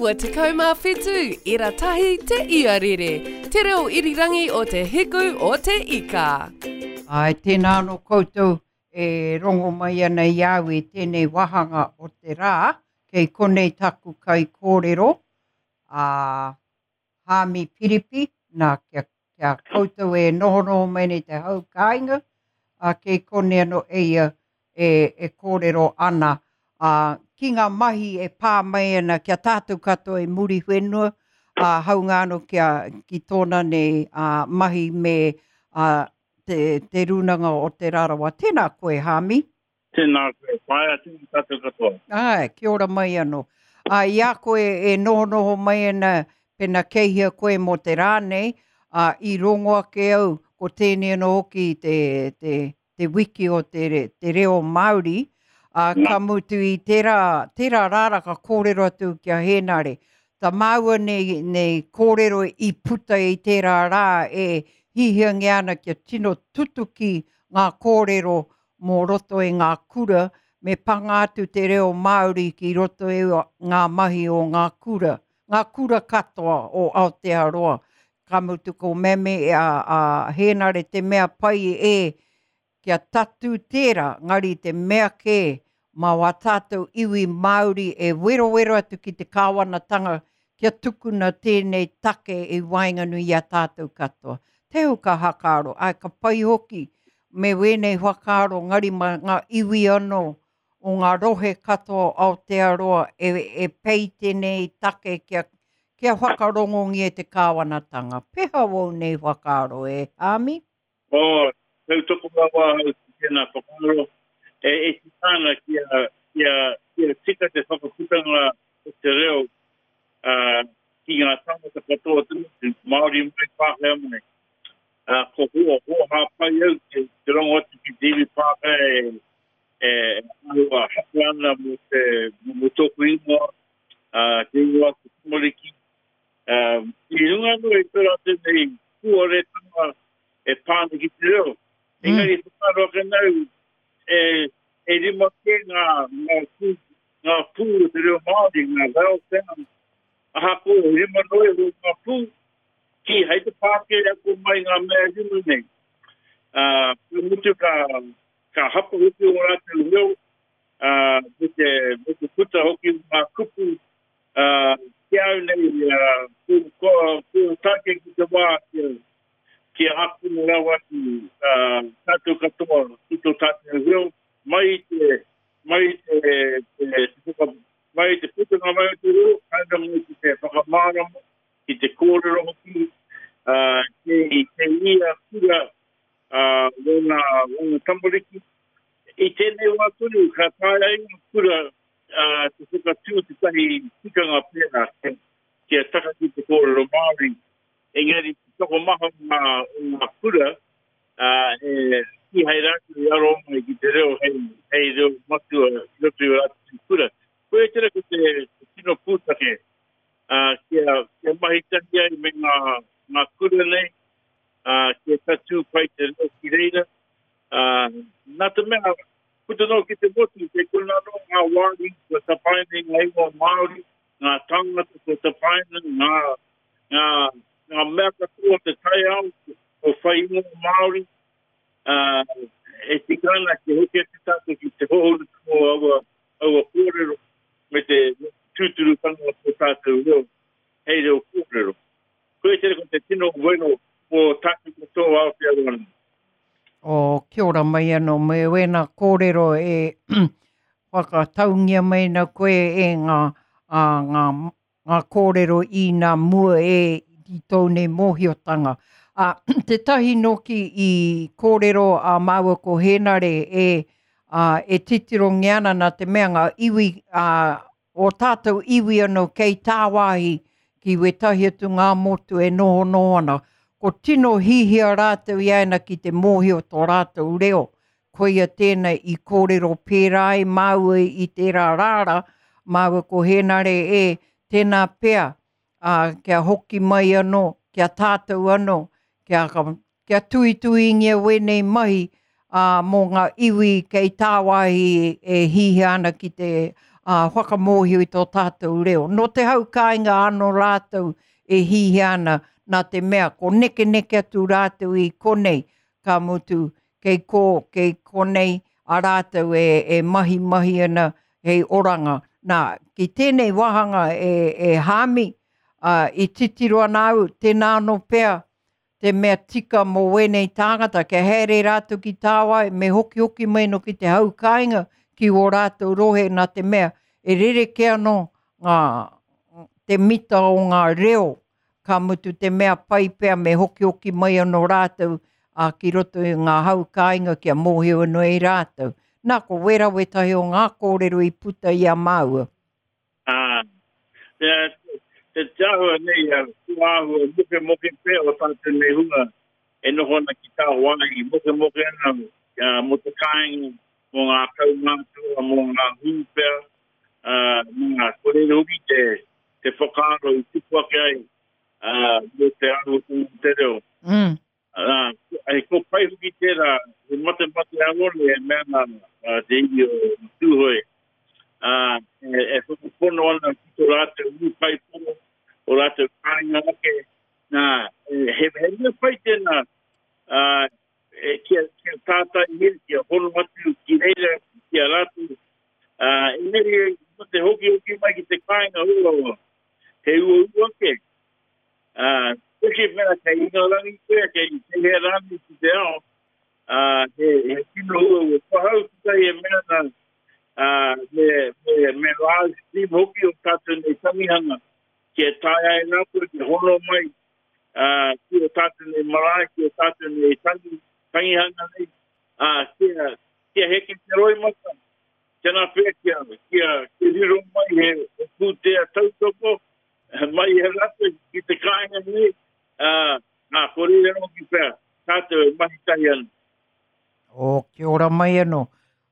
97 ira tahi te iarere, te reo irirangi o te hiku o te ika. Āe, tēnā anō koutou e rongo mai ana i a au i tēnei wāhanga o te rā, kei konei taku kaikōrero, a Haami Piripi, nā, kia, kia koutou e nohonoho mai nei te hau kāinga, ā, kei konei anō e ia e, e kōrero ana, ā, ki ngā mahi e pā mai ana ki a tātou katoa i Muriwhenua, ā, haunga anō ki a, ki tōna nei ā, mahi me ā, te, te Rūnanga o Te Rarawa. Tēnā koe, Haami. Tēnā koe, whāia tēnā tātou katoa. Āe, kia ora mai anō. Ā, i a koe e nohonoho mai ana, pena kei hea koe mō te rā nei, ā, i rongo ake au, ko tēnei anō hoki te, te, te wiki o te, te reo Māori, ā, ka mutu i tērā, tērā rā ka kōrero atu ki a Hēnare. Tā māua nei, nei kōrero i puta i tērā rā e hihiangia ana kia tino tutuki ngā kōrero mō roto i ngā kura, me panga atu te reo Māori ki roto i ngā mahi o ngā kura, ngā kura katoa o Aotearoa. Ka mutu ko Meme a, a Hēnare te mea pai e kia tatū tērā, ngari te mea kē mā wā tātou iwi Māori e werowero atu ki te kāwanatanga kia tukuna tēnei take i waenganui i a tātou katoa. Te hau ka hakaaro, āe ka pai hoki me wēnei whakaaro ngari mā ngā iwi anō o ngā rohe katoa o Aotearoa e, e pei tēnei take kia, kia whakarongongia te kāwanatanga. Peha wou nei whakaaro e, Hāmi? Oh, tautoko rawa ahau ki tēnā whakaaro. E, e tika ana kia, kia, kia tika te whakaputanga o te reo uh, ki ngā tāngata katoa te motu, Māori mai, Pākehā mai. Uh, ko hoa, hoa pai au te, te rongo atu ki te iwi Pākehā e, e āhua hapa ana mō te, mō tōku ingoa, uh, te ingoa te tamariki, I runga anō i tō rātou nei puoretanga e pā ana ki te reo. Engari whakaaro ake nau, e, e rima kē ngā, ngā, pū, ngā pū o te reo Māori, ngā vowel sounds, ahakoa e rima noa iho ngā pū, kīhai te Pākehā ako mai ngā mea e rima nei. Uh, ka mutu ka, ka hapa hoki o rātou reo, uh, me te, me te puta hoki o ngā kupu Ā, ki a au nei, ko, ko, ko take ki te wā kia, kia ākona rawa atu ā, tātou katoa ki tō tātou reo, mai i te, mai i te, te, te whaka, mai i te putanga mai o te reo, tae noa mai ki te whakamārama, ki te kōrero hoki, ā, kei, kei ia kura, ā, wōna, wōna tamariki. I tēnei wā tonu, ka taea ai ngā kura ā, te whakatū tētahi tikanga pērā kia taka ki te kōrero Māori, engari te tokomaha o ngā, o ngā kura, ā, e, kīhai rātou i aro mai ki te reo hei, hei reo matua i roto i ō rātou kura. Koia tērā ko te, te tino pūtake, ā, kia, kia mahi tahi ai me ngā, ngā kura nei, ā, kia tatū pai te reo ki reira, ā, nā te mea, Puta noa ki te motu, kei konā anō ngā wāhi kua tapaina i ngā ingoa Māori, ngā tāngata kua tapaina, ngā, ngā, ngā mea katoa o te taiao kua whai ingoa Māori, ā, e tika ana kia hoki atu tātou ki te hōhonutanga o aua, aua kōrero me te tūturutanga o tō tātou reo hei reo kōrero. Koia tērā ko te tino wero o tātou katoa o Aotearoa nei. Oh, kia ora mai anō me wēnā kōrero e whakataungia mai ana koe e ngā, ā, ngā, ngā kōrero i nā mua e i tōu nei mōhiotanga. Ā, tētahi nōki i kōrero a māua ko Hēnare e, ā, e titirongia ana nā te mea ngā iwi, ā, ō tātou iwi anō kei tāwāhi ki wētahi atu ngā motu e nohonoho ana. Ko tino hihia rātou i aena ki te mōhio tō rātou reo. Koia tēnei i kōrero pērā ai māua i tērā rāra, māua ko Hēnare e, tēnā pea, ā, kia hoki mai anō, kia tātou anō, kia, kia tuituingia wēnei mahi, ā, mō ngā iwi kei tāwāhi e hihia ana ki te ā, whakamōhio i tō tātou reo. Nō te hau kāinga anō rātou e hihia ana, nā te mea ko nekeneke atu rātou i konei, ka mutu kei kō, kei konei a rātou e, e mahimahi ana hei oranga. Nā, ki tēnei wāhanga e, e Hāmi, ā, i titiro ana au, tēnā anō pea te mea tika mō wēnei tāngata, kia haere rātou ki tāwāhi, me hokihoki mai anō ki te hau kāinga, ki wō rātou rohe, nā te mea e rerekē anō ngā, te mita o ngā reo, ka mutu te mea pai pea me hokihoki mai anō rātou ā, ki roto i ngā hau kāinga kia mōhio anō ai rātou. Nā, ko wērā wētahi o ngā kōrero i puta i a māua. Ā, te, te, te āhua nei, kua āhua mokemoke pea o tātou nei hunga e noho ana ki tāwāhi, mokemoke ana mō te kāinga, mō ngā kaumātua, mō ngā hū pea, ā, nā, ko reira hoki te, te whakaaro i tupu ake ai, ā, mō te āhuatanga o te reo. Mm. Ā, he ko pai hoki tērā, he matemate arone e mea ana te iwi o Tūhoe, ā, e, e whakapono ana ki tō rātou ūkaipō, o rātou kāinga ake, nā, he, he mea pai tēnā, ā, e, kia, kia tātaihia, kia hono atu ki reira, ki a rātou, ā, engari, mō te hokihoki mai ki te kāinga uaua, he uaua ake, Ā, peke pea kei Ingarangi koe, kei hea rānei ki te ao, ā, he, he tino uaua. Ko hau tētahi e mea ana, ā, me, me, me live stream hoki o tātou nei tangihanga, kia taea ai rātou te hono mai, ā, ki o tātou nei marae, ki o tātou nei tangi, tangihanga nei, ā, kia, kia heke te roimata, tēnā pea kia, kia, kia riro mai he, he pūtea tautoko, mai i a rātou ki te kāinga nei, ā, nā, ko reira hoki pea, tātou e mahi tahi ana. O, kia ora mai anō.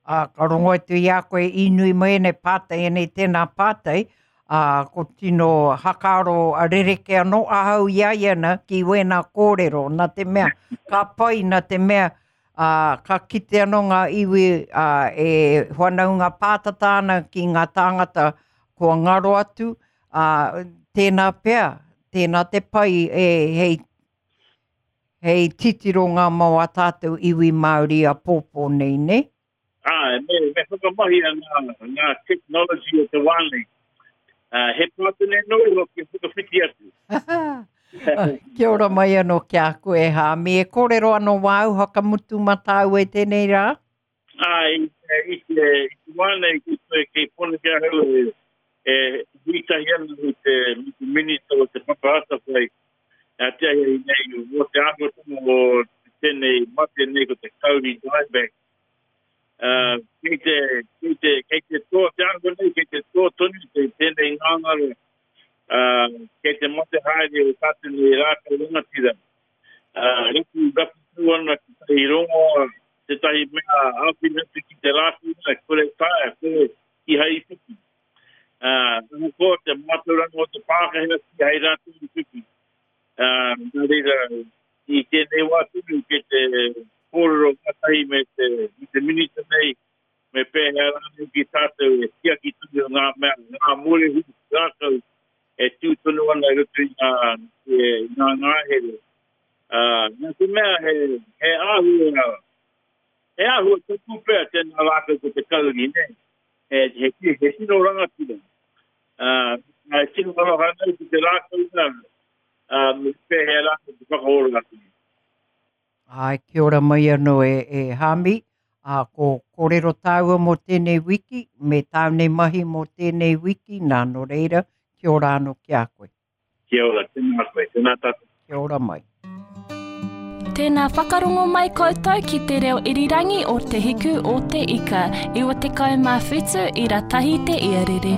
Ā, ka rongo atu i a koe i nui mai ēnei pātai, ēnei tēnā pātai, ā, ko tino hakaaro a rerekē anō ahau i a ia na ki wēnā kōrero, nā te mea, ka pai nā te mea, ā, ka kite anō ngā iwi, ā, e whanaunga pātata ana ki ngā tāngata kua ngaro atu, ā, tēnā pea, tēnā te pai e, hei, hei titiro ngā mō ā tātou iwi Māori āpōpō nei, nē? Āe, me, me whakamahia ngā, ngā technology o te wā nei. Uh, he pātene noa iho kia whakawhiti atu. Kia ora mai anō ki a koe, Hāmi. E kōrero anō wāu whakamutu mā tāua i tēnei rā? Āe, i te, i te, i te wā nei ki koe kei Pōneke ahau e, e hui tahi ana me te, me te Minita o Te Papa Atawhai, a te ahiahi nei, mō te āhuatanga o tēnei mate nei ko te kauri dieback. Uh, kei te, kei te, kei te toa te āhua nei, kei te toa tonu te, tēnei ngāngara, uh, kei te mate haere o tātou nei rākau rangatira. Uh, rapu, rapu tū ana ki tahi rongoa, tētahi mea āwhina atu ki te rākau nei, kore taea, kore kihai i whiwhi. Uh, ahakoa te mātauranga o te Pākehā kihai rātou i whiwhi. Uh, nā reira, i tēnei wā tonu kei te kōrero ngātahi me te, me te minita nei, me pēhea rānei ki tātou e tiaki tonu ngā mea, ngā mōrehu rākau e tū tonu ana i roto i ngā, i ngā ngāhere. Uh, nā te mea he, he āhua, he āhua tapu pea tēnā rākau ko te kauri, nē? He, he, he, he tino rangatira. Uh, e tino aroha nei ki te rākau nā, ā, me pēhea rātou te whakaora atu. Āe, kia ora mai anō e, e Hāmi. Ā, ko kōrero tāua mō tēnei wiki, me tāu nei mahi mō tēnei wiki, nā, nō reira, kia ora anō ki a koe. Kia ora, tēnā koe, tēnā tātou. Kia ora mai. Tēnā whakarongo mai koutou ki te reo irirangi o Te Hiku o Te Ika, 97 ira tahi te iarere.